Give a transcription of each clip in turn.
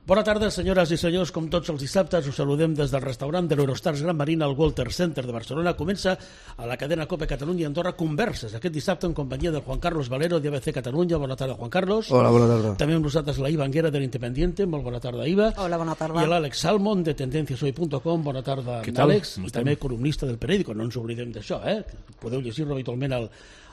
Bona tarda, senyores i senyors. Com tots els dissabtes, us saludem des del restaurant de l'Eurostars Gran Marina al Walter Center de Barcelona. Comença a la cadena COPE Catalunya i Andorra Converses, aquest dissabte en companyia del Juan Carlos Valero d'ABC Catalunya. Bona tarda, Juan Carlos. Hola, bona tarda. També amb nosaltres la Iva Anguera de l'Independiente. Molt bona tarda, Iva. Hola, bona tarda. I l'Àlex Salmon de tendenciashoy.com. Bona tarda, Àlex. I també columnista del periòdico. No ens oblidem d'això, Podeu llegir-lo habitualment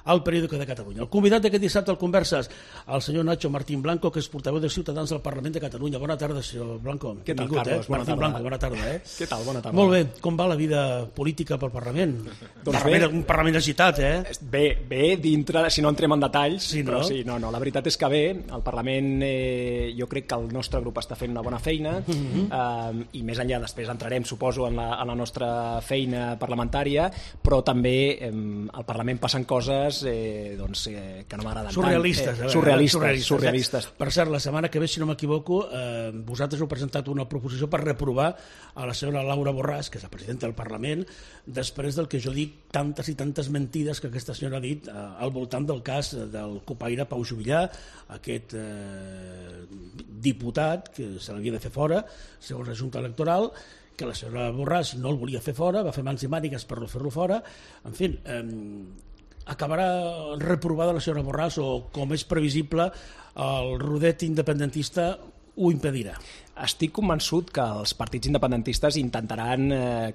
al periòdico de Catalunya. El convidat d'aquest dissabte al Converses, el senyor Nacho Martín Blanco, que és portaveu de Ciutadans del Parlament de Catalunya. Bona tarda, senyor Blanco. Què tal, Carlos? Bona tarda. Blanco, bona tarda, Què tal? Bona tarda. Molt bé. Com va la vida política pel Parlament? Un Parlament agitat, Bé, dintre, si no entrem en detalls, sí, no? Però sí, no, la veritat és que bé, el Parlament jo crec que el nostre grup està fent una bona feina, i més enllà després entrarem, suposo, en la nostra feina parlamentària, però també al Parlament passen coses que no m'agraden tant. Surrealistes. Per cert, la setmana que ve, si no m'equivoco, vosaltres heu presentat una proposició per reprovar a la senyora Laura Borràs, que és la presidenta del Parlament, després del que jo dic tantes i tantes mentides que aquesta senyora ha dit al voltant del cas del copaire Pau Juvillà, aquest diputat que se l'havia de fer fora, segons la Junta Electoral, que la senyora Borràs no el volia fer fora, va fer mans i mànigues per no fer-lo fora. En fi, acabarà reprovada la senyora Borràs o, com és previsible, el rodet independentista ho impedirà? Estic convençut que els partits independentistes intentaran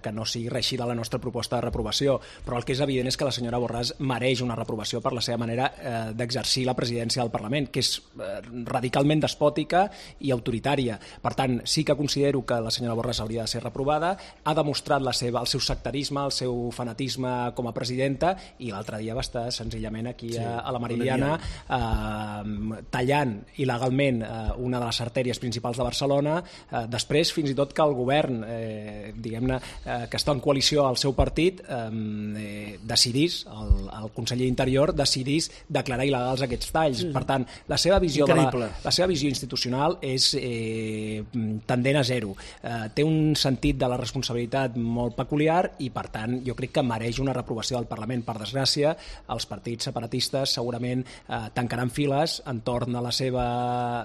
que no sigui reeixida la nostra proposta de reprovació, però el que és evident és que la senyora Borràs mereix una reprovació per la seva manera d'exercir la presidència del Parlament, que és radicalment despòtica i autoritària. Per tant, sí que considero que la senyora Borràs hauria de ser reprovada, ha demostrat el seu sectarisme, el seu fanatisme com a presidenta, i l'altre dia va estar senzillament aquí a la Meridiana tallant il·legalment una de les artèries principals de Barcelona, després fins i tot que el govern diguem-ne que està en coalició al seu partit decidís, el conseller d'Interior decidís declarar il·legals aquests talls. Per tant, la seva visió institucional és tendent a zero, té un sentit de la responsabilitat molt peculiar i per tant jo crec que mereix una reprovació del Parlament. Per desgràcia, els partits separatistes segurament tancaran files entorn de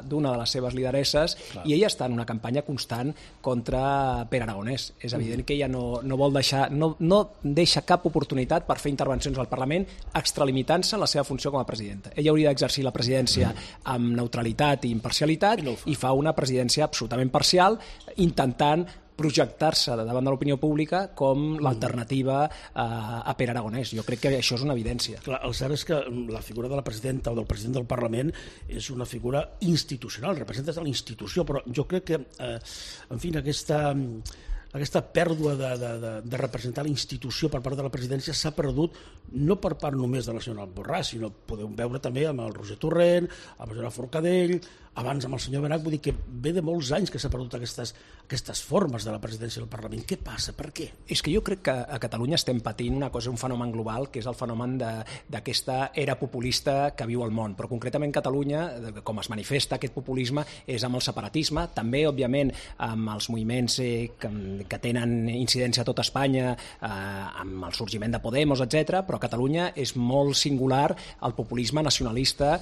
d'una de les seves lideresses. Clar. I ella està en una campanya constant contra Pere Aragonès. És evident que ella no vol deixar, no deixa cap oportunitat per fer intervencions al Parlament extralimitant-se la seva funció com a presidenta. Ella hauria d'exercir la presidència amb neutralitat i imparcialitat i fa una presidència absolutament parcial, intentant projectar-se davant de l'opinió pública com l'alternativa a Pere Aragonès. Jo crec que això és una evidència. Clar, el cert és que la figura de la presidenta o del president del Parlament és una figura institucional, representa la institució, però jo crec que, en fi, aquesta pèrdua de representar la institució per part de la presidència s'ha perdut no per part només de la senyora Borràs, sinó podeu veure també amb el Roger Torrent, amb la senyora Forcadell, abans amb el senyor Benach. Vull dir que ve de molts anys que s'ha perdut aquestes formes de la presidència del Parlament. Què passa? Per què? És que jo crec que a Catalunya estem patint una cosa, un fenomen global, que és el fenomen d'aquesta era populista que viu al món. Però concretament Catalunya, com es manifesta aquest populisme, és amb el separatisme, també, òbviament, amb els moviments que tenen incidència a tot Espanya, amb el sorgiment de Podemos, etc. Però a Catalunya és molt singular el populisme nacionalista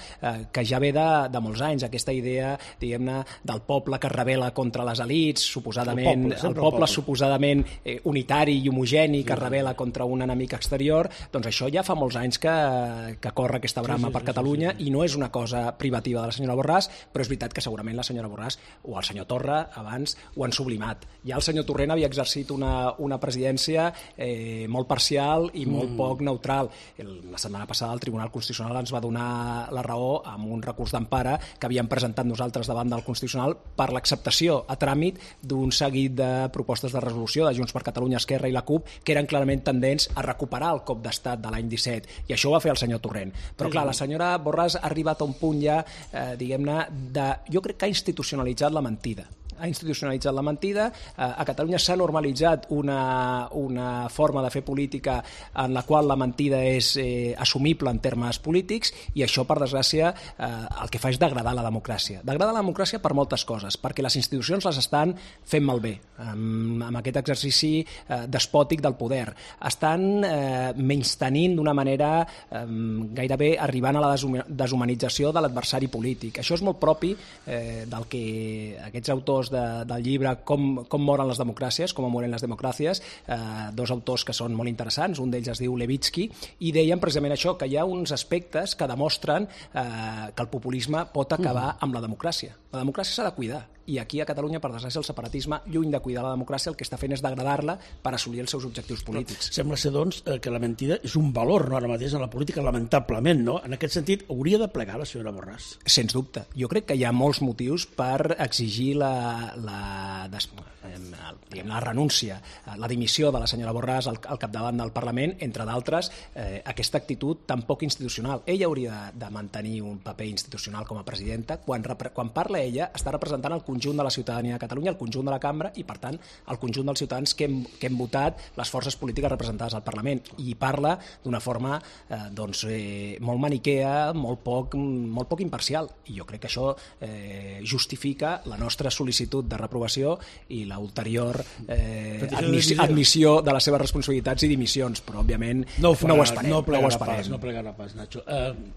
que ja ve de molts anys, aquesta idea, diguem-ne, del poble que es rebel·la contra les elits, suposadament, el poble suposadament unitari i homogeni que es rebel·la contra un enemic exterior. Doncs això ja fa molts anys que corre aquesta brama per Catalunya i no és una cosa privativa de la senyora Borràs, però és veritat que segurament la senyora Borràs o el senyor Torra abans ho han sublimat. Ja el senyor Torrent havia exercit una presidència molt parcial i molt poc neutral. La setmana passada el Tribunal Constitucional ens va donar la raó amb un recurs d'empara que havíem presentat nosaltres davant del Constitucional per l'acceptació a tràmit d'un seguit de propostes de resolució de Junts per Catalunya, Esquerra i la CUP que eren clarament tendents a recuperar el cop d'estat de l'any 17, i això ho va fer el senyor Torrent. Però clar, la senyora Borràs ha arribat a un punt ja, diguem-ne, jo crec que ha institucionalitzat la mentida. Ha institucionalitzat la mentida. A Catalunya s'ha normalitzat una forma de fer política en la qual la mentida és assumible en termes polítics, i això, per desgràcia, el que fa és degradar la democràcia. Degradar la democràcia per moltes coses, perquè les institucions les estan fent malbé amb aquest exercici despòtic del poder. Estan menystenint d'una manera gairebé arribant a la deshumanització de l'adversari polític. Això és molt propi del que aquests autors autors del llibre Com moren les democràcies, com moren les democràcies, dos autors que són molt interessants, un d'ells es diu Levitsky, i deien precisament això, que hi ha uns aspectes que demostren que el populisme pot acabar amb la democràcia. La democràcia s'ha de cuidar, i aquí a Catalunya, per desgràcia, el separatisme, lluny de cuidar la democràcia, el que està fent és degradar-la per assolir els seus objectius polítics. Sembla ser, doncs, que la mentida és un valor, no, ara mateix en la política, lamentablement, no? En aquest sentit, hauria de plegar la senyora Borràs. Sens dubte. Jo crec que hi ha molts motius per exigir la renúncia, la dimissió de la senyora Borràs al capdavant del Parlament, entre d'altres, aquesta actitud tan poc institucional. Ella hauria de mantenir un paper institucional com a presidenta. Quan parla ella, està representant el conjunt de la ciutadania de Catalunya, el conjunt de la cambra i, per tant, el conjunt dels ciutadans que hem votat les forces polítiques representades al Parlament. I parla d'una forma molt maniquea, molt poc imparcial. I jo crec que això justifica la nostra sol·licitud de reprovació i l'ulterior admissió de les seves responsabilitats i dimissions, però òbviament no ho esperem. No plegarà pas, Nacho.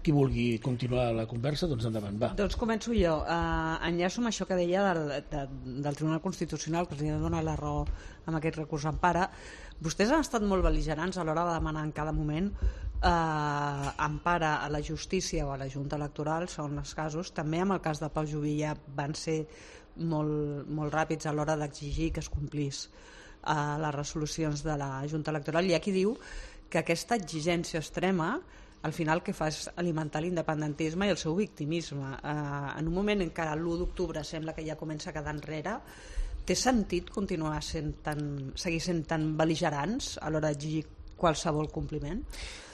Qui vulgui continuar la conversa, doncs endavant, va. Doncs començo jo. Enllaço amb això que deia del Tribunal Constitucional, que els dona la raó amb aquest recurs d'empara. Vostès han estat molt bel·ligerants a l'hora de demanar en cada moment empara a la justícia o a la Junta Electoral, són els casos. També amb el cas de Pau Juvillà van ser molt ràpids a l'hora d'exigir que es complís les resolucions de la Junta Electoral. Hi ha qui diu que aquesta exigència extrema al final el que fa és alimentar l'independentisme i el seu victimisme. En un moment en què l'1 d'octubre sembla que ja comença a quedar enrere, té sentit continuar seguir sent tan bel·ligerants a l'hora d'exigir qualsevol compliment?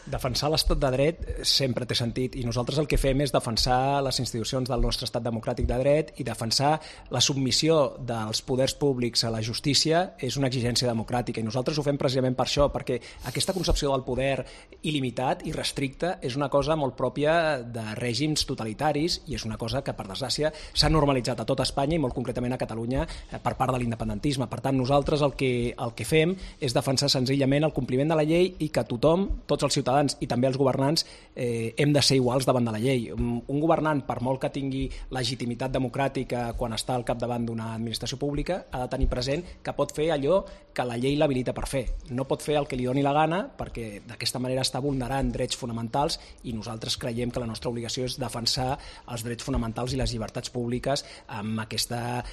Defensar l'estat de dret sempre té sentit, i nosaltres el que fem és defensar les institucions del nostre estat democràtic de dret, i defensar la submissió dels poders públics a la justícia és una exigència democràtica, i nosaltres ho fem precisament per això, perquè aquesta concepció del poder il·limitat i restricte és una cosa molt pròpia de règims totalitaris, i és una cosa que, per desgràcia, s'ha normalitzat a tot Espanya i molt concretament a Catalunya per part de l'independentisme. Per tant, nosaltres el que fem és defensar senzillament el compliment de la llei, i que tothom, tots els ciutadans i també els governants, hem de ser iguals davant de la llei. Un governant, per molt que tingui legitimitat democràtica quan està al capdavant d'una administració pública, ha de tenir present que pot fer allò que la llei l'habilita per fer. No pot fer el que li doni la gana, perquè d'aquesta manera està vulnerant drets fonamentals, i nosaltres creiem que la nostra obligació és defensar els drets fonamentals i les llibertats públiques amb aquesta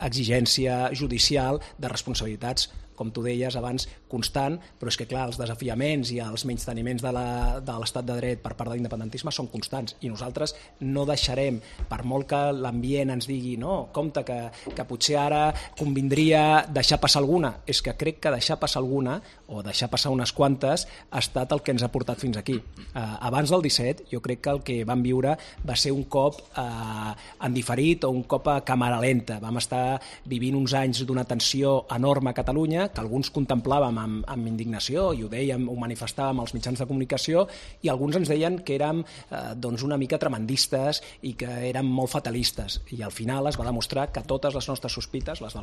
exigència judicial de responsabilitats, com tu deies abans, constant, però és que, clar, els desafiaments i els menysteniments de l'estat de dret per part de l'independentisme són constants, i nosaltres no deixarem, per molt que l'ambient ens digui no, compte que potser ara convindria deixar passar alguna. És que crec que deixar passar alguna, o deixar passar unes quantes, ha estat el que ens ha portat fins aquí. Abans del 17, jo crec que el que vam viure va ser un cop en diferit, o un cop a càmera lenta. Vam estar vivint uns anys d'una tensió enorme a Catalunya, que alguns contemplàvem amb indignació, i ho dèiem, ho manifestàvem als mitjans de comunicació, i alguns ens deien que érem una mica tremendistes i que érem molt fatalistes, i al final es va demostrar que totes les nostres sospites, les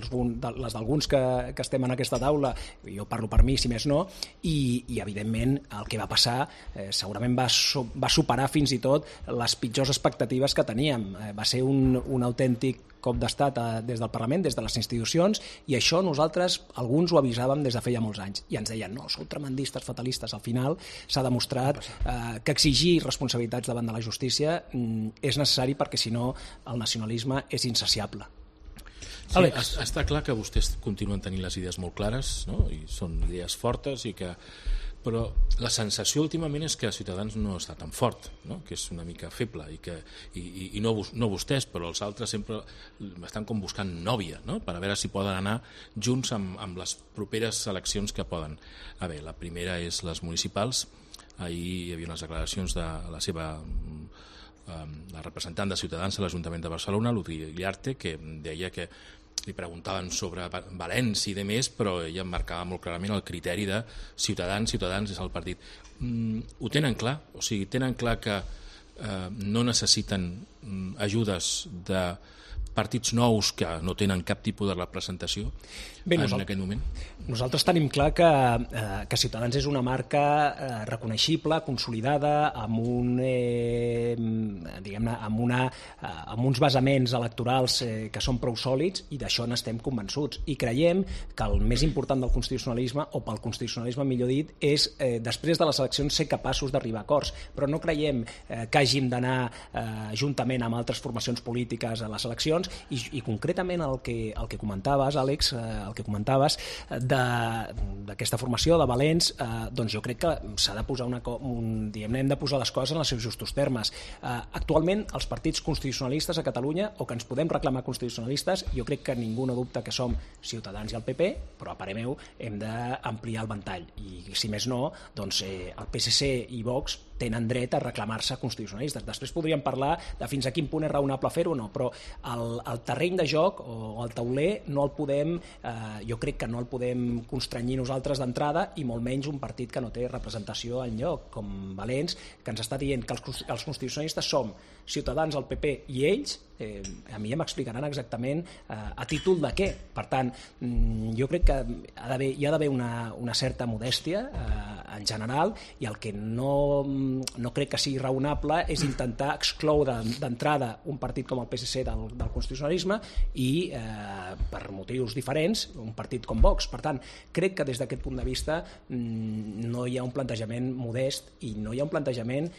d'alguns que estem en aquesta taula, jo parlo per mi si més no, i evidentment el que va passar segurament va superar fins i tot les pitjors expectatives que teníem. Va ser un autèntic cop d'estat des del Parlament, des de les institucions, i això nosaltres, alguns ho avisàvem des de feia molts anys, i ens deien, no, sou tremendistes, fatalistes. Al final s'ha demostrat que exigir responsabilitats davant de la justícia és necessari, perquè si no el nacionalisme és insaciable. Sí, està clar que vostès continuen tenint les idees molt clares, no? I són idees fortes, però la sensació últimament és que Ciutadans no està tan fort, no? Que és una mica feble, i no vostès, però els altres sempre estan com buscant nòvia, no? Per a veure si poden anar junts amb les properes eleccions que poden haver. La primera és les municipals. Ahir hi havia unes declaracions de la representant de Ciutadans a l'Ajuntament de Barcelona, Ludwig Llarte, que deia que li preguntaven sobre València i de més, però ella marcava molt clarament el criteri de Ciutadans és el partit. Ho tenen clar? O sigui, tenen clar que no necessiten ajudes partits nous que no tenen cap tipus de representació en aquest moment? Nosaltres tenim clar que Ciutadans és una marca reconeixible, consolidada, amb uns basaments electorals que són prou sòlids, i d'això n'estem convençuts. I creiem que el més important del constitucionalisme, o pel constitucionalisme millor dit, és després de les eleccions ser capaços d'arribar a acords. Però no creiem que hàgim d'anar juntament amb altres formacions polítiques a les eleccions, i concretament el que comentaves, Àlex, d'aquesta formació de Valents, doncs jo crec que s'ha de posar hem de posar les coses en els seus justos termes. Actualment els partits constitucionalistes a Catalunya, o que ens podem reclamar constitucionalistes, jo crec que ningú no dubta que som Ciutadans i el PP, però a parer meu hem d'ampliar el ventall, i si més no, doncs el PSC i Vox tenen dret a reclamar-se constitucionalistes. Després podríem parlar de fins a quin punt és raonable fer-ho o no, però el terreny de joc o el tauler no el podem, jo crec que no el podem constranyir nosaltres d'entrada, i molt menys un partit que no té representació enlloc, com Valents, que ens està dient que els constitucionalistes som Ciutadans, el PP i ells. A mi ja m'explicaran exactament a títol de què. Per tant, jo crec que hi ha d'haver una certa modèstia en general, i el que no crec que sigui raonable és intentar excloure d'entrada un partit com el PSC del constitucionalisme i, per motius diferents, un partit com Vox. Per tant, crec que des d'aquest punt de vista no hi ha un plantejament modest, i no hi ha un plantejament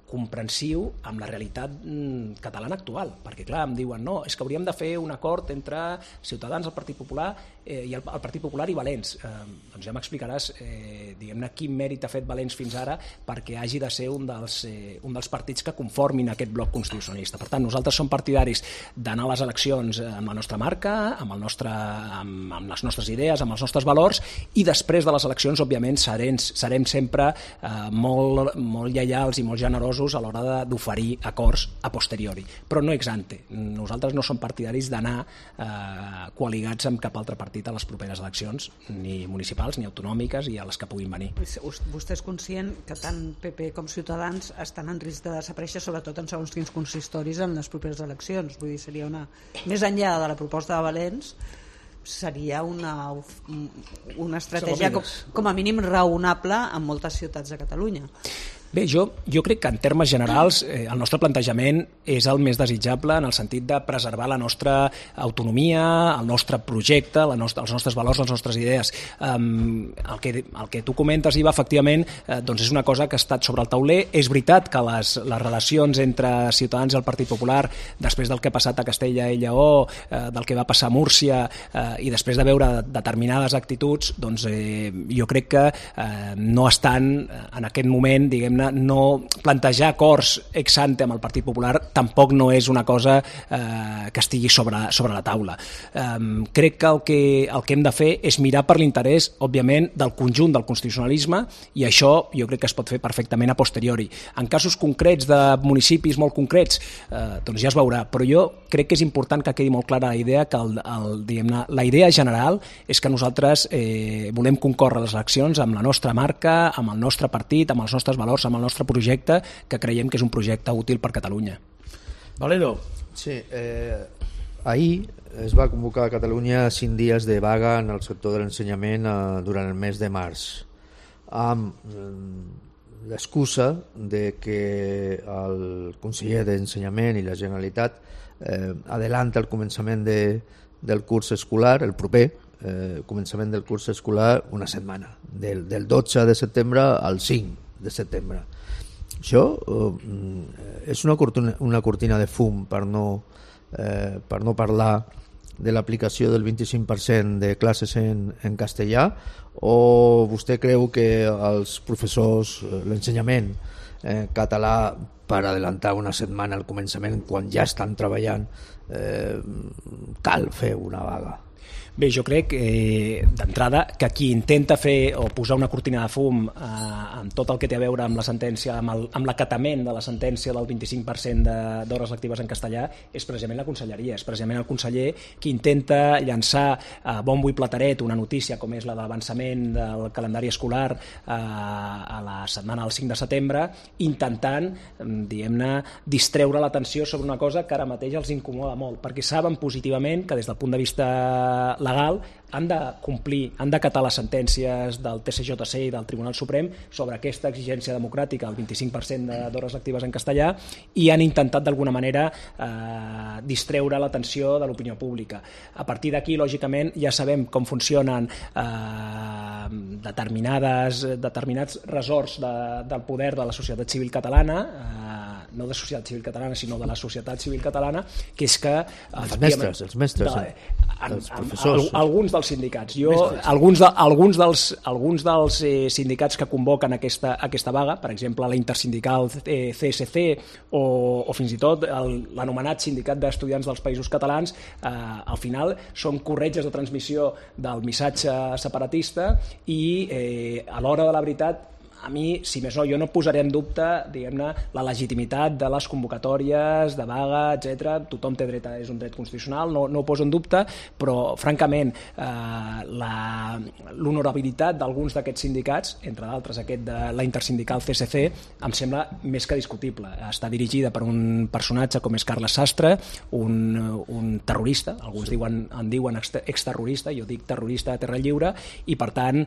comprensiu amb la realitat catalana actual, perquè clar, em diuen no, és que hauríem de fer un acord entre Ciutadans, el Partit Popular i el Partit Popular i Valents. Doncs ja m'explicaràs diguem-ne quin mèrit ha fet Valents fins ara perquè hagi de ser un dels partits que conformin aquest bloc constitucionalista. Per tant, nosaltres som partidaris d'anar a les eleccions amb la nostra marca, amb les nostres idees, amb els nostres valors, i després de les eleccions, òbviament, serem sempre molt lleials i molt generosos a l'hora d'oferir acords a posteriori, però no ex ante. Nosaltres no som partidaris d'anar coaligats amb cap altre partit a les properes eleccions, ni municipals ni autonòmiques, i a les que puguin venir. Vostè és conscient que tant PP com Ciutadans estan en risc de desaparèixer, sobretot en segons quins consistoris, en les properes eleccions. Vull dir, seria més enllà de la proposta de Valents, seria una estratègia com a mínim raonable en moltes ciutats de Catalunya. Bé, jo crec que en termes generals el nostre plantejament és el més desitjable, en el sentit de preservar la nostra autonomia, el nostre projecte, els nostres valors, les nostres idees. El que tu comentes, Iva, efectivament, doncs és una cosa que ha estat sobre el tauler. És veritat que les relacions entre Ciutadans i el Partit Popular, després del que ha passat a Castella i Lleó, del que va passar a Múrcia, i després de veure determinades actituds, doncs jo crec que no estan en aquest moment, diguem-ne, no plantejar acords ex ante amb el Partit Popular tampoc no és una cosa que estigui sobre la taula. Crec que el que hem de fer és mirar per l'interès, òbviament, del conjunt del constitucionalisme, i això jo crec que es pot fer perfectament a posteriori. En casos concrets de municipis molt concrets, doncs ja es veurà, però jo crec que és important que quedi molt clara la idea que la idea general és que nosaltres volem concórrer a les eleccions amb la nostra marca, amb el nostre partit, amb els nostres valors, amb el nostre projecte, que creiem que és un projecte útil per Catalunya. Valero. Sí, ahir es va convocar a Catalunya 5 dies de vaga en el sector de l'ensenyament durant el mes de març, amb l'excusa de que el conseller d'Ensenyament i la Generalitat adelanta el començament del curs escolar, el proper començament del curs escolar, una setmana, del 12 de setembre al 5 de setembre. Això és una cortina de fum per no parlar de l'aplicació del 25% de classes en castellà, o vostè creu que els professors, l'ensenyament català, per adelantar una setmana al començament quan ja estan treballant, cal fer una vaga? Bé, jo crec d'entrada que qui intenta fer o posar una cortina de fum amb tot el que té a veure amb la sentència, amb l'acatament de la sentència del 25% d'hores lectives en castellà, és precisament la conselleria, és precisament el conseller qui intenta llançar a bombo i plateret una notícia com és la de l'avançament del calendari escolar a la setmana del 5 de setembre, intentant, diguem-ne, distreure l'atenció sobre una cosa que ara mateix els incomoda molt, perquè saben positivament que des del punt de vista legal han de complir, han d'acatar les sentències del TCJC i del Tribunal Suprem sobre aquesta exigència democràtica, el 25% d'hores lectives en castellà, i han intentat d'alguna manera distreure l'atenció de l'opinió pública. A partir d'aquí, lògicament, ja sabem com funcionen determinats ressorts del poder de la societat civil catalana, no de societat civil catalana, sinó de la societat civil catalana, que és que... Els mestres, els professors. Alguns dels sindicats. Alguns dels sindicats que convoquen aquesta vaga, per exemple, la intersindical CSC o fins i tot l'anomenat sindicat d'estudiants dels Països Catalans, al final són corretges de transmissió del missatge separatista i a l'hora de la veritat, a mi, si més no, jo no posaré en dubte, diguem-ne, la legitimitat de les convocatòries, de vaga, etc. Tothom té dret, és un dret constitucional, no ho poso en dubte, però, francament, l'honorabilitat d'alguns d'aquests sindicats, entre d'altres aquest de la intersindical CSC, em sembla més que discutible. Està dirigida per un personatge com és Carles Sastre, un terrorista, alguns en diuen exterrorista, jo dic terrorista de terra lliure, i, per tant,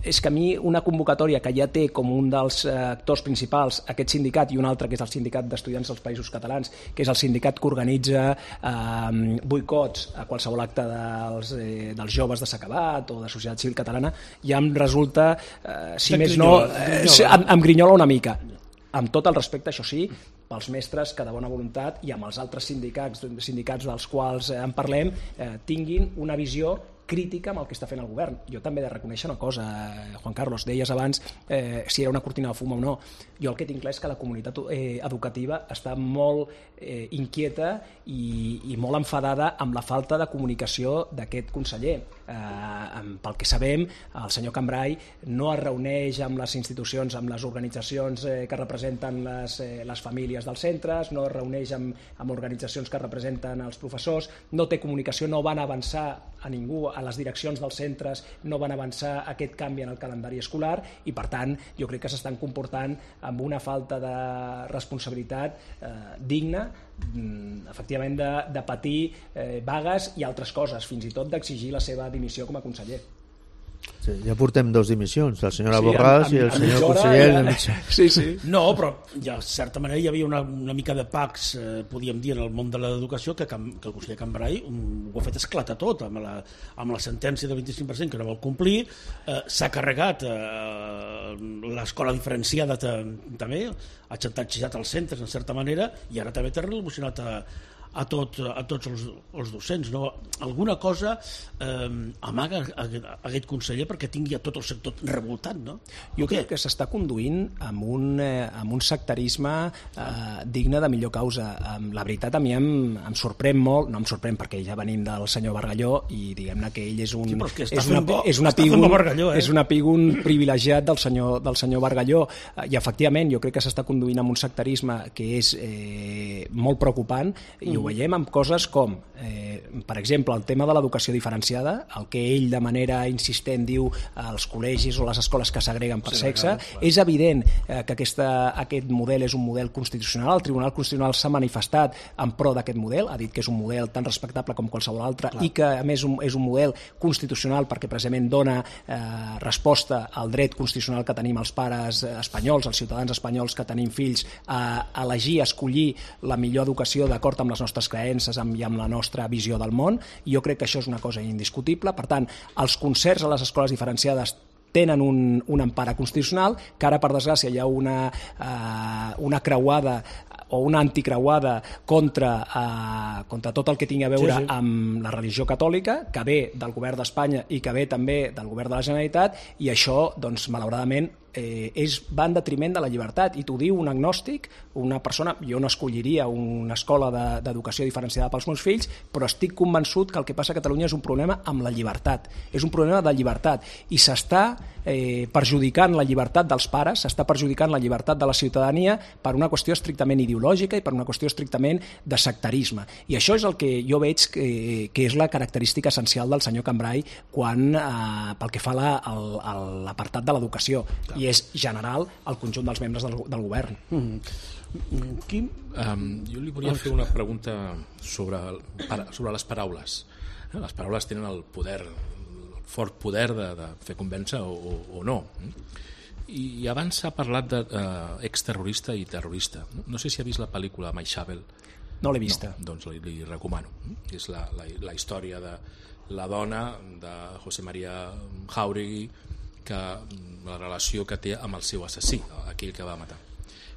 és que a mi una convocatòria que ja té com un dels actors principals aquest sindicat i un altre que és el sindicat d'estudiants dels Països Catalans, que és el sindicat que organitza boicots a qualsevol acte dels joves de s'acabat o de societat civil catalana, ja em resulta, si més no, em grinyola una mica. Amb tot el respecte, això sí, pels mestres que de bona voluntat i amb els altres sindicats dels quals en parlem tinguin una visió crítica amb el que està fent el govern. Jo també he de reconèixer una cosa, Juan Carlos, deies abans si era una cortina de fum o no. Jo el que tinc clar és que la comunitat educativa està molt inquieta i molt enfadada amb la falta de comunicació d'aquest conseller. Pel que sabem, el senyor Cambray no es reuneix amb les institucions, amb les organitzacions que representen les famílies dels centres, no es reuneix amb organitzacions que representen els professors, no té comunicació, no van avançar a ningú, a les direccions dels centres no van avançar aquest canvi en el calendari escolar i, per tant, jo crec que s'estan comportant amb una falta de responsabilitat digna, efectivament, de patir vagues i altres coses, fins i tot d'exigir la seva dimissió com a conseller. Sí, ja portem 2 dimissions, la senyora Borràs i el senyor conseller. Sí. No, però ja, de certa manera hi havia una mica de pax, podíem dir, en el món de l'educació, que el conseller Cambray ho ha fet esclatar tot amb la sentència del 25% que no vol complir, s'ha carregat l'escola diferenciada també, ha xantatjat els centres en certa manera i ara també té relacionat a tots els docents, no? Alguna cosa amaga aquest conseller perquè tingui a tot el sector revoltat, no? Jo crec que s'està conduint amb un sectarisme digne de millor causa. La veritat, a mi em sorprèn molt, no em sorprèn perquè ja venim del senyor Bargalló i diguem-ne que ell és un epígon privilegiat del senyor Bargalló i efectivament jo crec que s'està conduint amb un sectarisme que és molt preocupant i ho veiem amb coses com, per exemple, el tema de l'educació diferenciada, el que ell de manera insistent diu als col·legis o les escoles que s'agreguen per sexe. És evident que aquest model és un model constitucional. El Tribunal Constitucional s'ha manifestat en pro d'aquest model, ha dit que és un model tan respectable com qualsevol altre i que, a més, és un model constitucional perquè precisament dona resposta al dret constitucional que tenim els pares espanyols, els ciutadans espanyols que tenim fills, a elegir, a escollir la millor educació d'acord amb les nostres creences i amb la nostra visió del món. Jo crec que això és una cosa indiscutible. Per tant, els concerts a les escoles diferenciades tenen una empara constitucional, que ara, per desgràcia, hi ha una creuada o una anticreuada contra tot el que tingui a veure amb la religió catòlica, que ve del govern d'Espanya i que ve també del govern de la Generalitat, i això, doncs, malauradament, va en detriment de la llibertat, i t'ho diu un agnòstic, una persona. Jo no escolliria una escola d'educació diferenciada pels meus fills, però estic convençut que el que passa a Catalunya és un problema amb la llibertat, és un problema de llibertat, i s'està perjudicant la llibertat dels pares, s'està perjudicant la llibertat de la ciutadania per una qüestió estrictament ideològica i per una qüestió estrictament de sectarisme, i això és el que jo veig que és la característica essencial del senyor Cambray pel que fa a l'apartat de l'educació, i és general al conjunt dels membres del govern. Quim? Jo li volia fer una pregunta sobre les paraules. Les paraules tenen el poder, el fort poder de fer convèncer o no. I abans s'ha parlat d'exterrorista i terrorista. No sé si ha vist la pel·lícula Maixabel. No l'he vista. No, doncs li recomano. És la història de la dona de José María Jáuregui, la relació que té amb el seu assassí, aquell que va matar.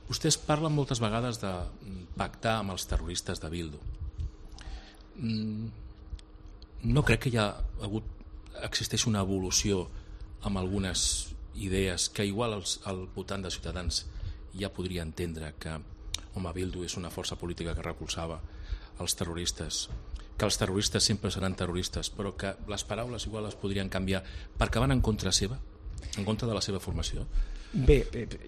Vostès parlen moltes vegades de pactar amb els terroristes de Bildu. No crec que existeix una evolució amb algunes idees que igual al votant de Ciutadans ja podria entendre que Bildu és una força política que recolzava els terroristes, que els terroristes sempre seran terroristes, però que les paraules igual es podrien canviar perquè van en contra seva, en contra de la seva formació? Bé,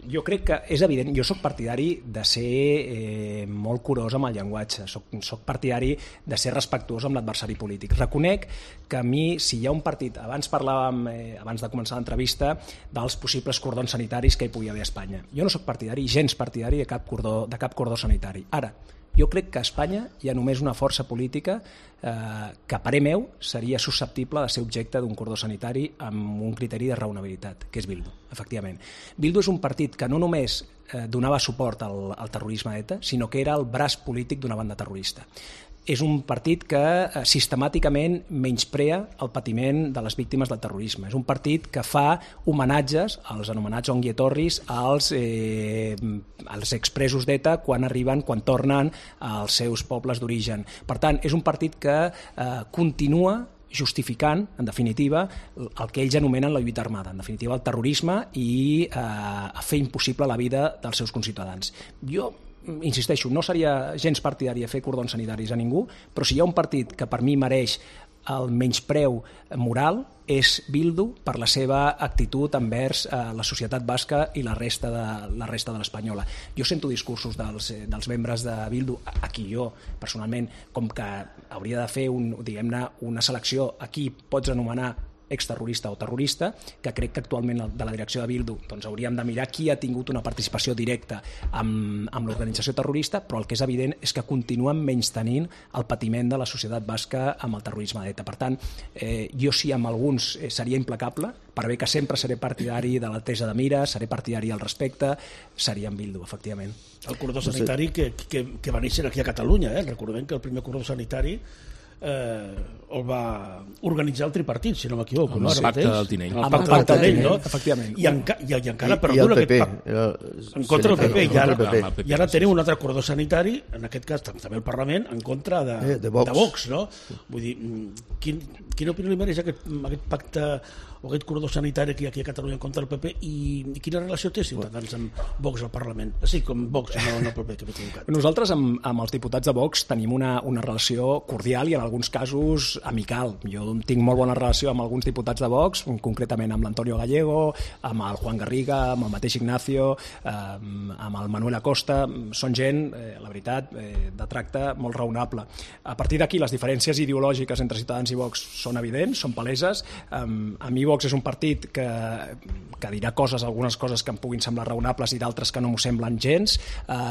jo crec que és evident. Jo soc partidari de ser molt curós amb el llenguatge, soc partidari de ser respectuós amb l'adversari polític. Reconec que a mi, si hi ha un partit, abans parlàvem, abans de començar l'entrevista, dels possibles cordons sanitaris que hi pugui haver a Espanya. Jo no soc partidari, gens partidari de cap cordó sanitari. Ara, jo crec que a Espanya hi ha només una força política que, a parer meu, seria susceptible de ser objecte d'un cordó sanitari amb un criteri de raonabilitat, que és Bildu, efectivament. Bildu és un partit que no només donava suport al terrorisme d'ETA, sinó que era el braç polític d'una banda terrorista. És un partit que sistemàticament menysprea el patiment de les víctimes del terrorisme. És un partit que fa homenatges als anomenats ongietorris, als expresos d'ETA quan tornen als seus pobles d'origen. Per tant, és un partit que continua justificant, en definitiva, el que ells anomenen la lluita armada, en definitiva el terrorisme, i fer impossible la vida dels seus conciutadans. Jo insisteixo, no seria gens partidari de fer cordons sanitaris a ningú, però si hi ha un partit que per mi mereix el menyspreu moral és Bildu per la seva actitud envers la societat basca i la resta de l'espanyola. Jo sento discursos dels membres de Bildu, aquí jo personalment, com que hauria de fer una selecció, aquí pots anomenar exterrorista o terrorista, que crec que actualment de la direcció de Bildu hauríem de mirar qui ha tingut una participació directa amb l'organització terrorista, però el que és evident és que continuen menystenint el patiment de la societat basca amb el terrorisme d'ETA. Per tant, jo sí amb alguns seria implacable, per bé que sempre seré partidari de la tesa de mira, seré partidari al respecte, seria amb Bildu, efectivament. El cordó sanitari que va néixer aquí a Catalunya, recordem que el primer cordó sanitari el va organitzar el tripartit, si no m'equivoco, el pacte del Tinell. El pacte del Tinell, no? Efectivament. I encara perdura aquest pacte en contra del PP, i ara tenim un altre cordó sanitari, en aquest cas també el Parlament, en contra de Vox, no? Vull dir, quina opinió li mereix aquest pacte o aquest cordó sanitari aquí a Catalunya contra el PP, i quina relació té Ciutadans amb Vox al Parlament? Sí, com Vox, no el PP, que m'he equivocat. Nosaltres amb els diputats de Vox tenim una relació cordial i en alguns casos amical. Jo tinc molt bona relació amb alguns diputats de Vox, concretament amb l'Antonio Gallego, amb el Juan Garriga, amb el mateix Ignacio, amb el Manuel Acosta. Són gent, la veritat, de tracte molt raonable. A partir d'aquí, les diferències ideològiques entre Ciutadans i Vox són evidents, són paleses. A mi Vox és un partit que dirà algunes coses que em puguin semblar raonables i d'altres que no m'ho semblen gens.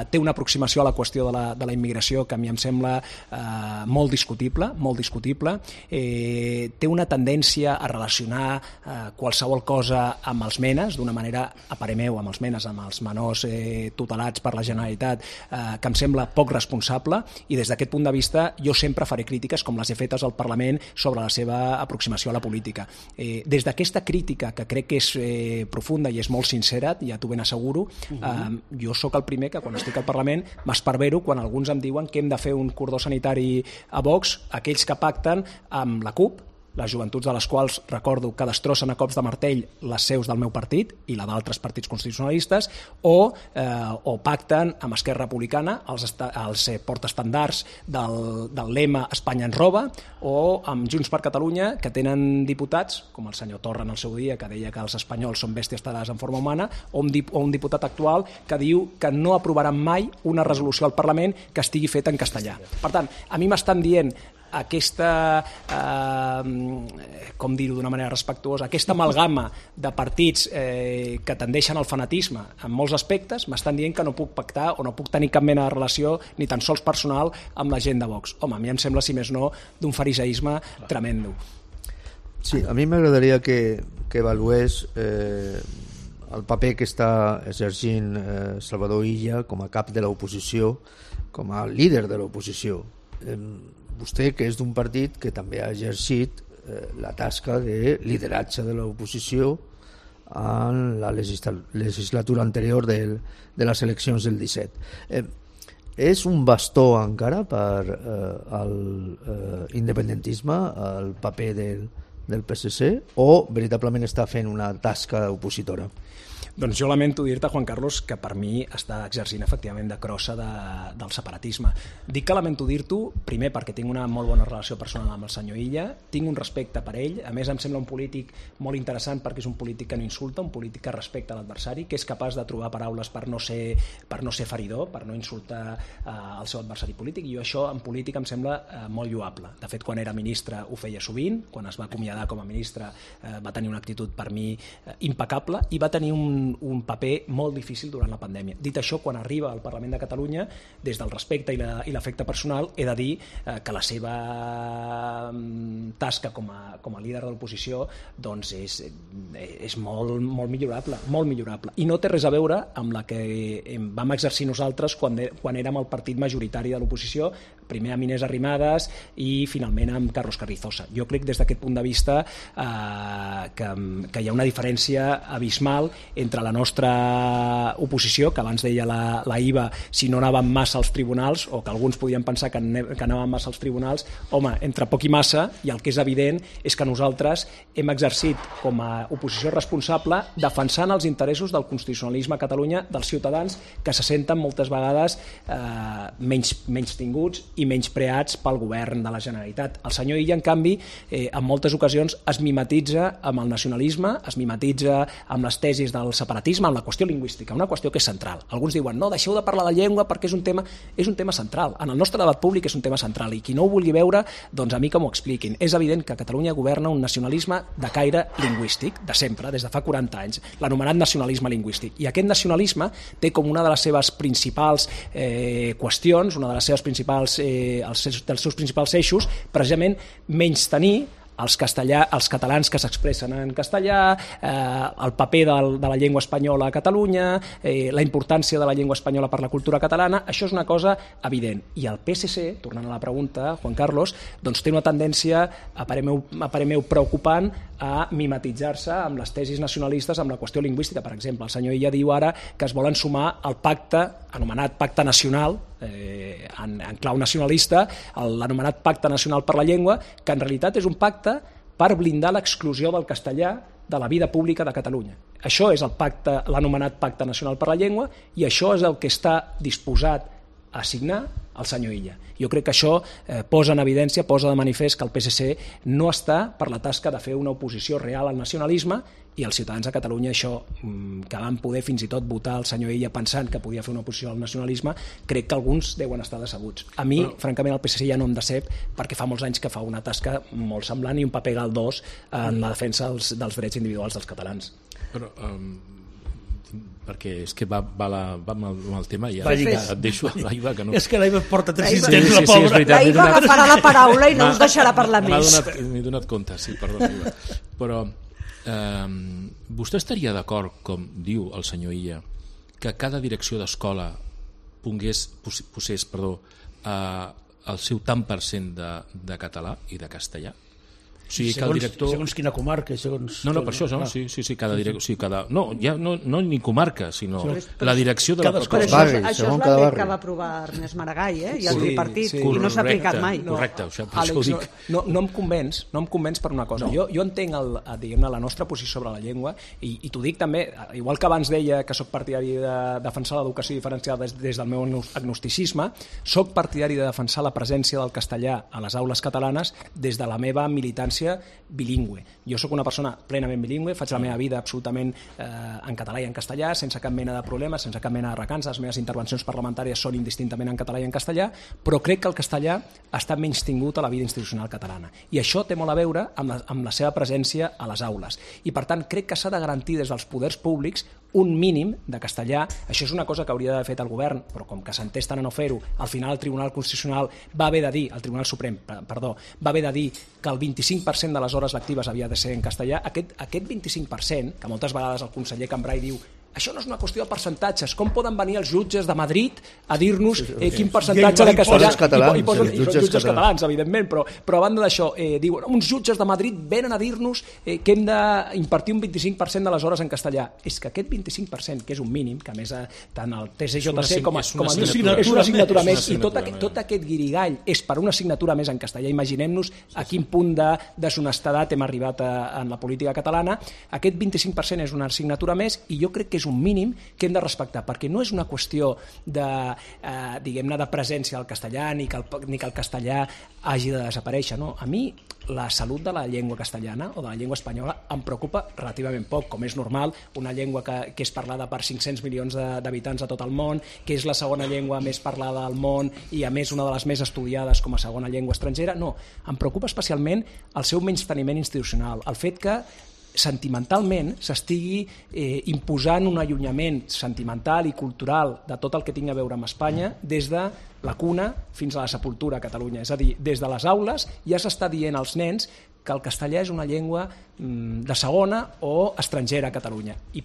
Té una aproximació a la qüestió de la immigració que a mi em sembla molt discutible, té una tendència a relacionar qualsevol cosa amb els menes, d'una manera, a parer meu, amb els menes, amb els menors tutelats per la Generalitat, que em sembla poc responsable, i des d'aquest punt de vista jo sempre faré crítiques com les he fetes al Parlament sobre la seva aproximació a la política. Des d'aquesta crítica, que crec que és profunda i és molt sincera, ja t'ho ben asseguro, jo sóc el primer que quan estic al Parlament m'esparvero quan alguns em diuen que hem de fer un cordó sanitari a Vox, aquells que pacten amb la CUP, les joventuts de les quals recordo que destrossen a cops de martell les seus del meu partit i la d'altres partits constitucionalistes, o pacten amb Esquerra Republicana els portaestandards del lema Espanya ens roba, o amb Junts per Catalunya, que tenen diputats, com el senyor Torra en el seu dia, que deia que els espanyols són bèsties talades en forma humana, o un diputat actual que diu que no aprovaran mai una resolució al Parlament que estigui feta en castellà. Per tant, a mi m'estan dient aquesta, com dir-ho d'una manera respectuosa, aquesta amalgama de partits que tendeixen al fanatisme en molts aspectes, m'estan dient que no puc pactar o no puc tenir cap mena de relació, ni tan sols personal, amb la gent de Vox. Home, a mi em sembla, si més no, d'un fariseisme tremendo. Sí, a mi m'agradaria que avalués el paper que està exercint Salvador Illa com a cap de l'oposició, com a líder de l'oposició. Vostè, que és d'un partit que també ha exercit la tasca de lideratge de l'oposició en la legislatura anterior de les eleccions del 17. És un bastó encara per l'independentisme, el paper del PSC, o veritablement està fent una tasca opositora? Doncs jo lamento dir-te, Juan Carlos, que per mi està exercint efectivament de crossa del separatisme. Dic que lamento dir-t'ho, primer perquè tinc una molt bona relació personal amb el senyor Illa, tinc un respecte per ell, a més em sembla un polític molt interessant perquè és un polític que no insulta, un polític que respecta l'adversari, que és capaç de trobar paraules per no ser feridor, per no insultar el seu adversari polític, i jo això en política em sembla molt lloable. De fet, quan era ministre ho feia sovint, quan es va acomiadar com a ministre va tenir una actitud per mi impecable i va tenir un paper molt difícil durant la pandèmia. Dit això, quan arriba al Parlament de Catalunya, des del respecte i l'afecte personal, he de dir que la seva tasca com a líder de l'oposició doncs és molt millorable, molt millorable. I no té res a veure amb la que vam exercir nosaltres quan érem el partit majoritari de l'oposició, primer amb Inés Arrimadas i finalment amb Carlos Carrizosa. Jo crec des d'aquest punt de vista que hi ha una diferència abismal entre la nostra oposició, que abans deia la IVA, si no anàvem massa als tribunals, o que alguns podien pensar que anàvem massa als tribunals. Home, entre poc i massa, i el que és evident és que nosaltres hem exercit com a oposició responsable defensant els interessos del constitucionalisme a Catalunya, dels ciutadans que se senten moltes vegades menys tinguts i menys preats pel govern de la Generalitat. El senyor Illa, en canvi, en moltes ocasions es mimetitza amb el nacionalisme, es mimetitza amb les tesis del separatisme, amb la qüestió lingüística, una qüestió que és central. Alguns diuen, no, deixeu de parlar la llengua perquè és un tema central. En el nostre debat públic és un tema central i qui no ho vulgui veure, doncs a mi que m'ho expliquin. És evident que a Catalunya governa un nacionalisme de caire lingüístic, de sempre, des de fa 40 anys, l'anomenat nacionalisme lingüístic. I aquest nacionalisme té com una de les seves principals qüestions, una de les seves principals, dels seus principals eixos, precisament menystenir els catalans que s'expressen en castellà, el paper de la llengua espanyola a Catalunya, la importància de la llengua espanyola per la cultura catalana. Això és una cosa evident. I el PSC, tornant a la pregunta, Juan Carlos, doncs té una tendència, a parer meu preocupant, a mimetitzar-se amb les tesis nacionalistes amb la qüestió lingüística. Per exemple, el senyor Illa diu ara que es volen sumar al pacte, anomenat Pacte Nacional, en clau nacionalista, l'anomenat Pacte Nacional per la Llengua, que en realitat és un pacte per blindar l'exclusió del castellà de la vida pública de Catalunya. Això és l'anomenat Pacte Nacional per la Llengua i això és el que està disposat a signar el senyor Illa. Jo crec que això posa en evidència, posa de manifest que el PSC no està per la tasca de fer una oposició real al nacionalisme, i els ciutadans de Catalunya això, que van poder fins i tot votar el senyor Illa pensant que podia fer una oposició al nacionalisme, crec que alguns deuen estar decebuts. A mi, francament, el PSC ja no em decep perquè fa molts anys que fa una tasca molt semblant i un paper galdós en la defensa dels drets individuals dels catalans. Però perquè és que va amb el tema i ja et deixo a l'Aiva que no... És que l'Aiva porta 3 temps, la pobra. L'Aiva agafarà la paraula i no us deixarà parlar més. M'he donat compte, sí, perdó, Aiva. Però vostè estaria d'acord, com diu el senyor Illa, que cada direcció d'escola posés el seu tant % de català i de castellà? O sigui, que el director... Segons quina comarca, segons... No, per això, no? Sí, cada director... Sí, no, ja no ni comarca, sinó la direcció de la Però pròpia... això és la llei que va aprovar Ernest Maragall, i el tripartit, i no s'ha aplicat mai. Correcte, Àlex, ho dic. No em convenç per una cosa. Jo entenc la nostra posició sobre la llengua, i t'ho dic també, igual que abans deia que sóc partidari de defensar l'educació diferenciada des del meu agnosticisme, sóc partidari de defensar la presència del castellà a les aules catalanes des de la meva militància bilingüe. Jo sóc una persona plenament bilingüe, faig la meva vida absolutament en català i en castellà, sense cap mena de problemes, sense cap mena de recança. Les meves intervencions parlamentàries són indistintament en català i en castellà, però crec que el castellà està menystingut a la vida institucional catalana. I això té molt a veure amb la seva presència a les aules. I per tant crec que s'ha de garantir des dels poders públics un mínim de castellà. Això és una cosa que hauria d'haver fet el govern, però com que s'entesten a no fer-ho, al final el Tribunal Constitucional va haver de dir, el Tribunal Suprem, perdó, va haver de dir que el 25% de les hores lectives havia de ser en castellà. Aquest 25%, que moltes vegades el conseller Cambray diu això no és una qüestió de percentatges. Com poden venir els jutges de Madrid a dir-nos quin percentatge de castellà... I jutges catalans, evidentment, però a banda d'això, diuen, uns jutges de Madrid venen a dir-nos que hem d'impartir un 25% de les hores en castellà. És que aquest 25%, que és un mínim, que a més tant el TCJC com és una assignatura més, i tot aquest guirigall és per una assignatura més en castellà. Imaginem-nos a quin punt de deshonestedat hem arribat en la política catalana. Aquest 25% és una assignatura més, i jo crec que és un mínim que hem de respectar, perquè no és una qüestió de, diguem-ne, de presència del castellà ni que el castellà hagi de desaparèixer. No? A mi la salut de la llengua castellana o de la llengua espanyola em preocupa relativament poc, com és normal, una llengua que és parlada per 500 milions d'habitants a tot el món, que és la segona llengua més parlada al món i a més una de les més estudiades com a segona llengua estrangera. No, em preocupa especialment el seu menysteniment institucional, el fet que sentimentalment s'estigui imposant un allunyament sentimental i cultural de tot el que tingui a veure amb Espanya des de la cuna fins a la sepultura a Catalunya. És a dir, des de les aules ja s'està dient als nens que el castellà és una llengua de segona o estrangera a Catalunya. I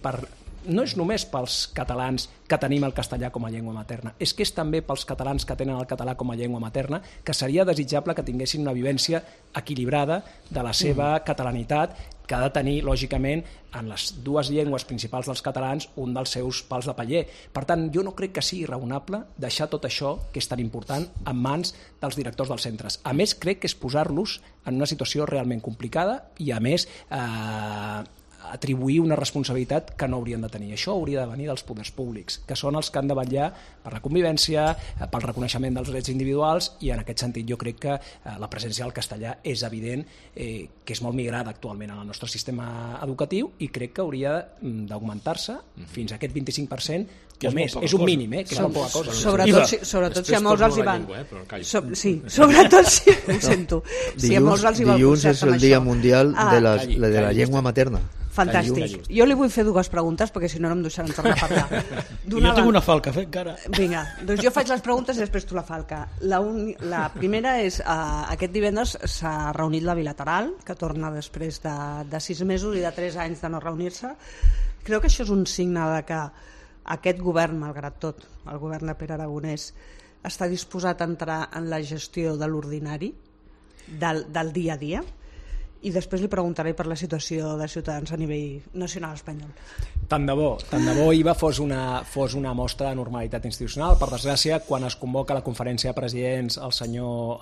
no és només pels catalans que tenim el castellà com a llengua materna, és que és també pels catalans que tenen el català com a llengua materna, que seria desitjable que tinguessin una vivència equilibrada de la seva catalanitat, que ha de tenir, lògicament, en les dues llengües principals dels catalans, un dels seus pals de paller. Per tant, jo no crec que sigui raonable deixar tot això, que és tan important, en mans dels directors dels centres. A més, crec que és posar-los en una situació realment complicada i, a més, atribuir una responsabilitat que no haurien de tenir. Això hauria de venir dels poders públics, que són els que han de vetllar per la convivència, pel reconeixement dels drets individuals, i en aquest sentit jo crec que la presència del castellà és evident que és molt migrada actualment en el nostre sistema educatiu, i crec que hauria d'augmentar-se fins a aquest 25%, o més. És un mínim, que és molt poca cosa. Sobretot si a molts els hi van... Sí, sobretot si... Ho sento. Si a molts els hi va el dilluns és el Dia Mundial de la Llengua Materna. Fantàstic. Jo li vull fer dues preguntes, perquè si no no em deixaran tornar a parlar. Jo tinc una falca, encara. Vinga, doncs jo faig les preguntes i després tu la falca. La primera és, aquest divendres s'ha reunit la bilateral, que torna després de 6 mesos i de 3 anys de no reunir-se. Creu que això és un signe de que aquest govern, malgrat tot, el govern de Pere Aragonès, està disposat a entrar en la gestió de l'ordinari, del dia a dia? I després li preguntaré per la situació de Ciutadans a nivell nacional espanyol. Tant de bo IVA fos una mostra de normalitat institucional. Per desgràcia, quan es convoca la conferència de presidents, el senyor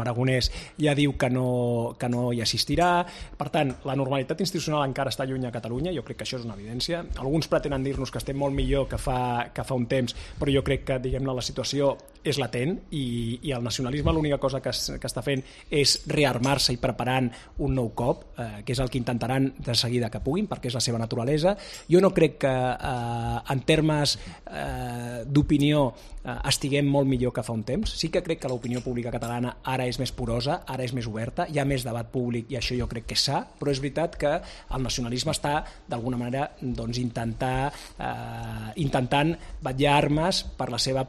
Aragonès ja diu que no hi assistirà. Per tant, la normalitat institucional encara està lluny a Catalunya, jo crec que això és una evidència. Alguns pretenen dir-nos que estem molt millor que fa un temps, però jo crec que, diguem-ne, la situació és latent i el nacionalisme l'única cosa que està fent és rearmar-se i preparant un nou cop, que és el que intentaran de seguida que puguin, perquè és la seva naturalesa. Jo no crec que en termes d'opinió estiguem molt millor que fa un temps. Sí que crec que l'opinió pública catalana ara és més porosa, ara és més oberta, hi ha més debat públic i això jo crec que és sa, però és veritat que el nacionalisme està d'alguna manera intentant vetllar armes pel seu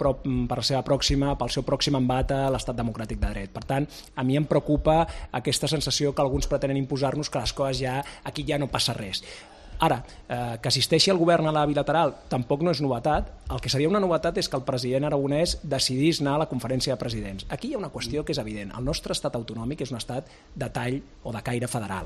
pròxim embat a l'estat democràtic de dret. Per tant, a mi em preocupa aquesta sensació que alguns pretenen imposar-nos que les coses aquí ja no passa res. Ara, que assisteixi el govern a la bilateral tampoc no és novetat. El que seria una novetat és que el president Aragonès decidís anar a la conferència de presidents. Aquí hi ha una qüestió que és evident. El nostre estat autonòmic és un estat de tall o de caire federal.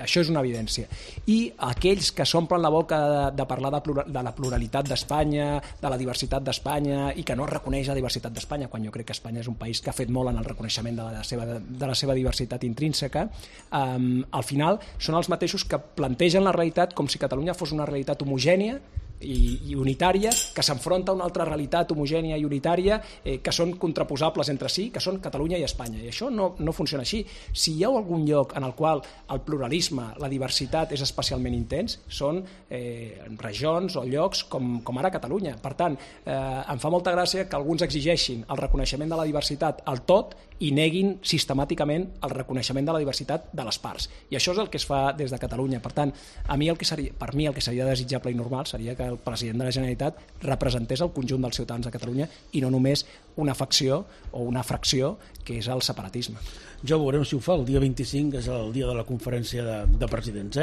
Això és una evidència. I aquells que s'omplen la boca de parlar de la pluralitat d'Espanya, de la diversitat d'Espanya, i que no reconeix la diversitat d'Espanya, quan jo crec que Espanya és un país que ha fet molt en el reconeixement de la seva diversitat intrínseca, al final són els mateixos que plantegen la realitat com si Catalunya fos una realitat homogènia i unitària, que s'enfronta a una altra realitat homogènia i unitària, que són contraposables entre si, que són Catalunya i Espanya. I això no funciona així. Si hi ha algun lloc en el qual el pluralisme, la diversitat és especialment intens, són regions o llocs com ara Catalunya. Per tant, em fa molta gràcia que alguns exigeixin el reconeixement de la diversitat al tot i neguin sistemàticament el reconeixement de la diversitat de les parts. I això és el que es fa des de Catalunya. Per tant, per mi el que seria desitjable i normal seria que el president de la Generalitat representés el conjunt dels ciutadans de Catalunya i no només una facció o una fracció que és el separatisme. Ja veurem si ho fa. El dia 25 és el dia de la conferència de presidents.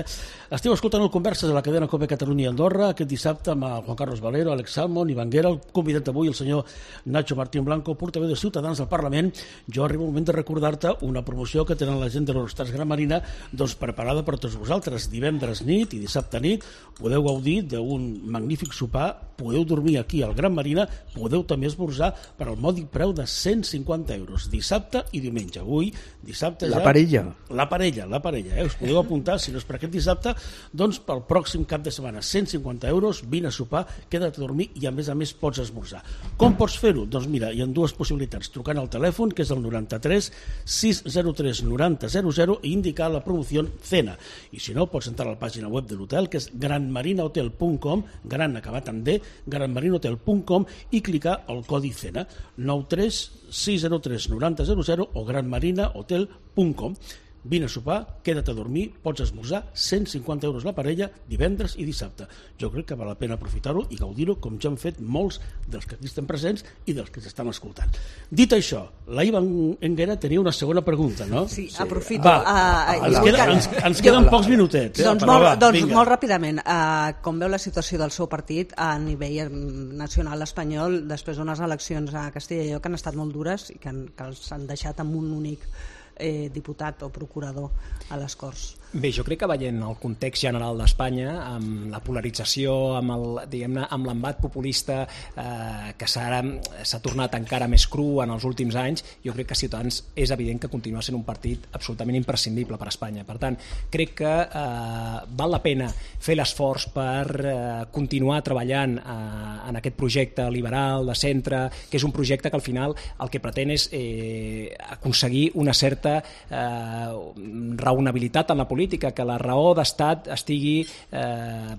Esteu escoltant el Converses a la cadena COPE Catalunya i Andorra aquest dissabte amb Juan Carlos Valero, Alex Salmon, Ivan Guerra, el convidat avui, el senyor Nacho Martín Blanco, portaveu de Ciutadans del Parlament. Jo arriba el moment de recordar-te una promoció que tenen la gent de l'Eurostars Gran Marina preparada per tots vosaltres. Divendres nit i dissabte nit podeu gaudir d'un magnífic sopar, podeu dormir aquí al Gran Marina, podeu també esmorzar per al mòdic preu de 150 euros, dissabte i diumenge. Avui, dissabte ja... La parella. Us podeu apuntar, si no és per aquest dissabte, doncs pel pròxim cap de setmana. 150 euros, vine a sopar, queda't a dormir i a més pots esmorzar. Com pots fer-ho? Doncs mira, hi ha dues possibilitats. Trucant al telèfon, que és el 93 603 90 00 i indicar la promoció Cena. I si no, pots entrar a la pàgina web de l'hotel, que és granmarinahotel.com, gran acabat en D, granmarinahotel.com, i clicar el codi Cena 93 603 90 00 o granmarinahotel.com. Vine a sopar, queda't a dormir, pots esmorzar, 150 euros la parella, divendres i dissabte. Jo crec que val la pena aprofitar-ho i gaudir-ho com ja han fet molts dels que aquí estem presents i dels que ens estan escoltant. Dit això, la Ivan Enguera tenia una segona pregunta, no? Sí, aprofito. Ens queden pocs minutets. Doncs molt ràpidament, com veu la situació del seu partit a nivell nacional espanyol després d'unes eleccions a Castella i Lleó que han estat molt dures i que els han deixat amb un únic diputat o procurador a les Corts? Bé, jo crec que veient el context general d'Espanya, amb la polarització, amb l'embat populista que s'ha tornat encara més cru en els últims anys, jo crec que Ciutadans és evident que continua sent un partit absolutament imprescindible per a Espanya. Per tant, crec que val la pena fer l'esforç per continuar treballant en aquest projecte liberal, de centre, que és un projecte que al final el que pretén és aconseguir una certa raonabilitat en la política, que la raó d'estat estigui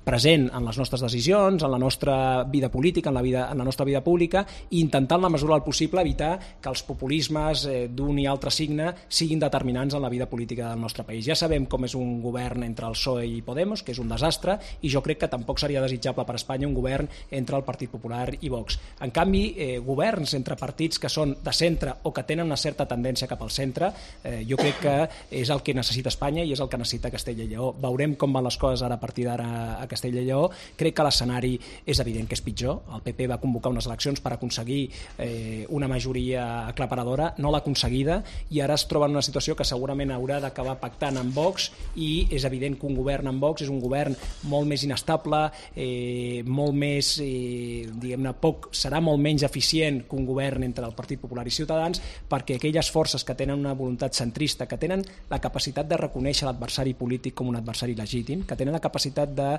present en les nostres decisions, en la nostra vida política, en la nostra vida pública, i intentar en la mesura del possible evitar que els populismes d'un i altre signe siguin determinants en la vida política del nostre país. Ja sabem com és un govern entre el PSOE i Podemos, que és un desastre, i jo crec que tampoc seria desitjable per a Espanya un govern entre el Partit Popular i Vox. En canvi, governs entre partits que són de centre o que tenen una certa tendència cap al centre, jo crec que és el que necessita Espanya i és el que necessita Castella i Lleó. Veurem com van les coses ara a partir d'ara a Castella i Lleó. Crec que l'escenari és evident que és pitjor. El PP va convocar unes eleccions per aconseguir una majoria aclaparadora, no l'ha aconseguida, i ara es troba en una situació que segurament haurà d'acabar pactant amb Vox, i és evident que un govern amb Vox és un govern molt més inestable, molt més, diguem-ne, serà molt menys eficient que un govern entre el Partit Popular i Ciutadans, perquè aquelles forces que tenen una voluntat centrista, que tenen la capacitat de reconèixer l'adversari polític com un adversari legítim, que tenen la capacitat de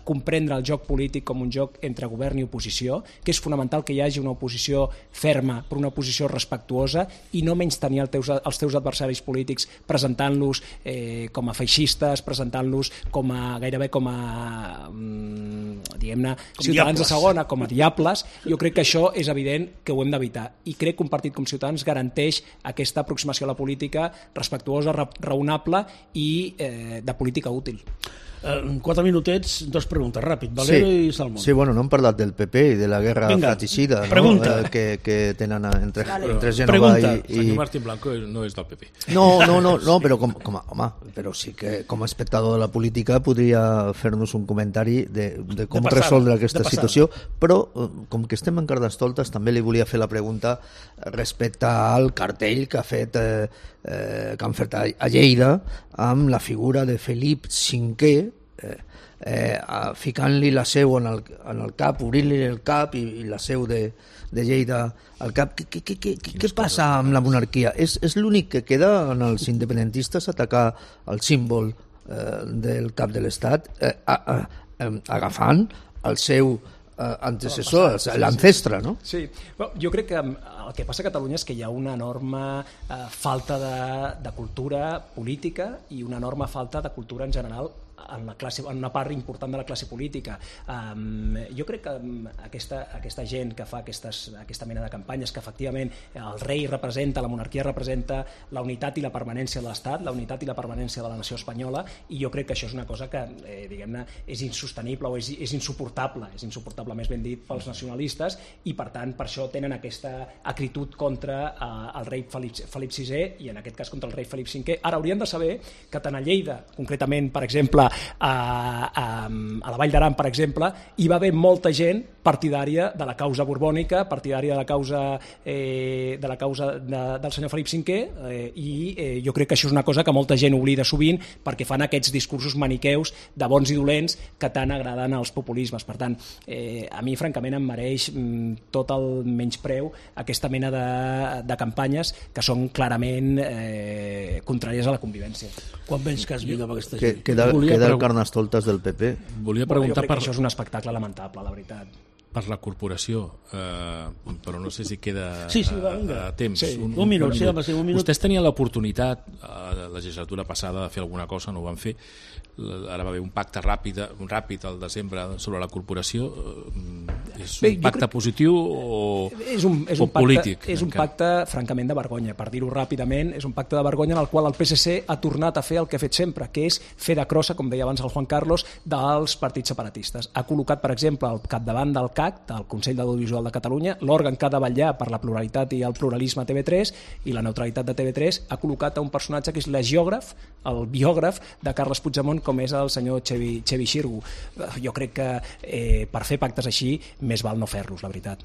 comprendre el joc polític com un joc entre govern i oposició, que és fonamental que hi hagi una oposició ferma, però una oposició respectuosa, i no menystenir els teus adversaris polítics presentant-los com a feixistes, presentant-los gairebé com a diguem-ne, ciutadans de segona, com a diables. Jo crec que això és evident que ho hem d'evitar, i crec que un partit com Ciutadans garanteix aquesta aproximació a la política respectuosa, raonable i de política útil. 4 minutets, 2 preguntes, ràpid. Valero i Salmón. Sí, bueno, no hem parlat del PP i de la guerra fratricida, pregunta. No? Que tenen entre Génova Pregunta. i... Senyor Martín Blanco no és del PP. No, però però sí que com a espectador de la política podria fer-nos un comentari de com resoldre aquesta situació, però com que estem en Carnestoltes també li volia fer la pregunta respecte al cartell que han fet a Lleida amb la figura de Felip V, ficant-li la seu en el cap, obrint-li el cap i la seu de Lleida al cap. Què passa amb la monarquia? És l'únic que queda en els independentistes atacar el símbol del cap de l'Estat agafant el seu antecessor, l'ancestre, no? Sí, bueno, jo crec que el que passa a Catalunya és que hi ha una enorme falta de cultura política i una enorme falta de cultura en general en una part important de la classe política. Jo crec que aquesta gent que fa aquesta mena de campanyes, que efectivament el rei representa, la monarquia representa la unitat i la permanència de l'Estat, la unitat i la permanència de la nació espanyola, i jo crec que això és una cosa que, diguem-ne, és insostenible o és insuportable més ben dit pels nacionalistes, i per tant per això tenen aquesta acritud contra el rei Felip VI i en aquest cas contra el rei Felip V. Ara haurien de saber que tant a Lleida, concretament, per exemple, a la Vall d'Aran, per exemple, hi va haver molta gent partidària de la causa borbònica, partidària de la causa del senyor Felip V, i jo crec que això és una cosa que molta gent oblida sovint perquè fan aquests discursos maniqueus de bons i dolents que tant agraden als populismes. Per tant, a mi francament em mereix tot el menyspreu aquesta mena de campanyes que són clarament contràries a la convivència. Quan menys cas viu amb aquesta gent? Queda el Carnestoltes del PP. Volia preguntar jo crec que això és un espectacle lamentable, la veritat. Per la corporació, però no sé si queda a temps. Sí, un minut. Vostès tenien l'oportunitat a la legislatura passada de fer alguna cosa, no ho van fer. Ara va haver un pacte ràpid al desembre sobre la corporació. És un pacte positiu o polític? És un pacte francament de vergonya, per dir-ho ràpidament. És un pacte de vergonya en el qual el PSC ha tornat a fer el que ha fet sempre, que és fer de crossa, com deia abans el Juan Carlos, dels partits separatistes. Ha col·locat, per exemple, al capdavant del CAC, del Consell d'Audiovisual de Catalunya, l'òrgan que ha de vetllar per la pluralitat i el pluralisme a TV3 i la neutralitat de TV3, ha col·locat a un personatge que és l'agiògraf, el biògraf de Carles Puigdemont, com és el senyor Xevi Xirgu. Jo crec que per fer pactes així més val no fer-los, la veritat.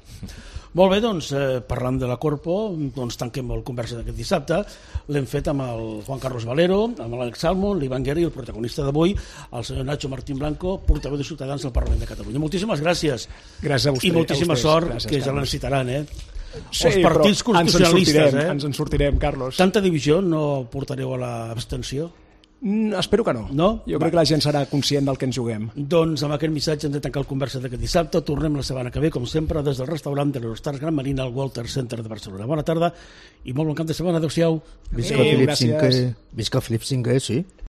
Molt bé, doncs, parlant de la Corpo, doncs tanquem el conversa d'aquest dissabte. L'hem fet amb el Juan Carlos Valero, amb l'Àlex Salmón, l'Ivan Guerra i el protagonista d'avui, el senyor Nacho Martín Blanco, portaveu de Ciutadans del Parlament de Catalunya. Moltíssimes gràcies. Gràcies a vostè. I moltíssima sort, gràcies, que ja la necessitaran, Sí, els partits constitucionalistes, ens en sortirem, Carlos. Tanta divisió no portareu a l'abstenció? Espero que no. Jo crec que la gent serà conscient del que ens juguem. Doncs amb aquest missatge hem de tancar el conversa d'aquest dissabte. Tornem la setmana que ve, com sempre, des del restaurant de l'Eurostars Gran Marina al Walter Center de Barcelona. Bona tarda i molt bon cap de setmana. Adéu-siau. Visca Felip V, sí.